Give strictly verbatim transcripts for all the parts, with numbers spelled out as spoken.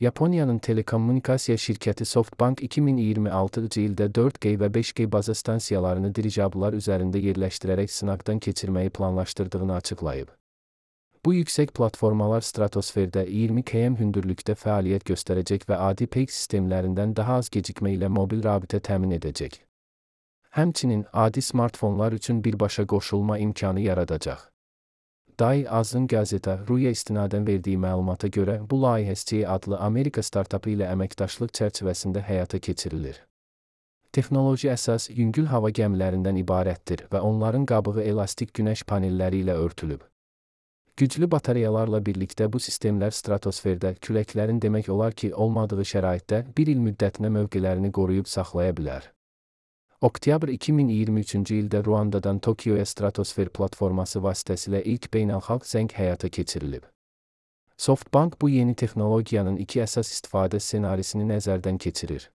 Yaponiyanın telekommunikasiya şirkəti SoftBank iki min iyirmi altıncı ildə dörd G və beş G baza stansiyalarını dirijabllar üzərində yerləşdirərək sınaqdan keçirməyi planlaşdırdığını açıqlayıb. Bu yüksək platformalar stratosferdə iyirmi kilometr hündürlükdə fəaliyyət göstərəcək və adi peyk sistemlərindən daha az gecikmə ilə mobil rabitə təmin edəcək. Həmçinin adi smartfonlar üçün birbaşa qoşulma imkanı yaradacaq. Day Azın Gazeta Ruya istinadən verdiyi məlumata görə bu layihə S C adlı Amerika startapı ilə əməkdaşlıq çərçivəsində həyata keçirilir. Texnoloji əsas yüngül hava gəmilərindən ibarətdir və onların qabığı elastik günəş panelləri ilə örtülüb. Güclü batareyalarla birlikdə bu sistemlər stratosferdə küləklərin demək olar ki, olmadığı şəraitdə bir il müddətinə mövqelərini qoruyub saxlaya bilər. Oktyabr iki min iyirmi üçüncü ildə Ruandadan Tokyoya stratosfer platforması vasitəsilə ilk beynəlxalq zəng həyata keçirilib. SoftBank bu yeni texnologiyanın iki əsas istifadə ssenarisini nəzərdən keçirir.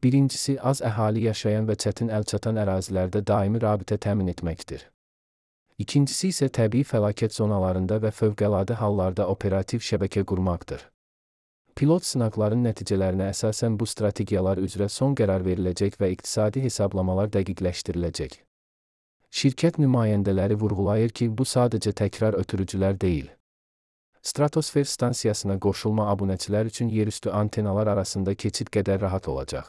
Birincisi, az əhali yaşayan və çətin əlçatan ərazilərdə daimi rabitə təmin etməkdir. İkincisi isə təbii fəlakət zonalarında və fövqəladə hallarda operativ şəbəkə qurmaqdır. Pilot sınaqların nəticələrinə əsasən bu strategiyalar üzrə son qərar veriləcək və iqtisadi hesablamalar dəqiqləşdiriləcək. Şirkət nümayəndələri vurğulayır ki, bu sadəcə təkrar ötürücülər deyil. Stratosfer stansiyasına qoşulma abunəçilər üçün yerüstü antenalar arasında keçid qədər rahat olacaq.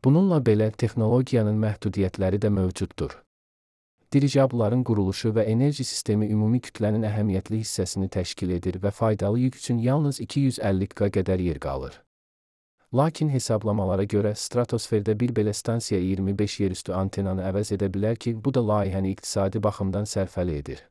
Bununla belə, texnologiyanın məhdudiyyətləri də mövcuddur. Dirijablların quruluşu və enerji sistemi ümumi kütlənin əhəmiyyətli hissəsini təşkil edir və faydalı yük üçün yalnız iki yüz əlli giqametrə qədər yer qalır. Lakin hesablamalara görə stratosferdə bir belə stansiya iyirmi beş yerüstü antenanı əvəz edə bilər ki, bu da layihəni iqtisadi baxımdan sərfəli edir.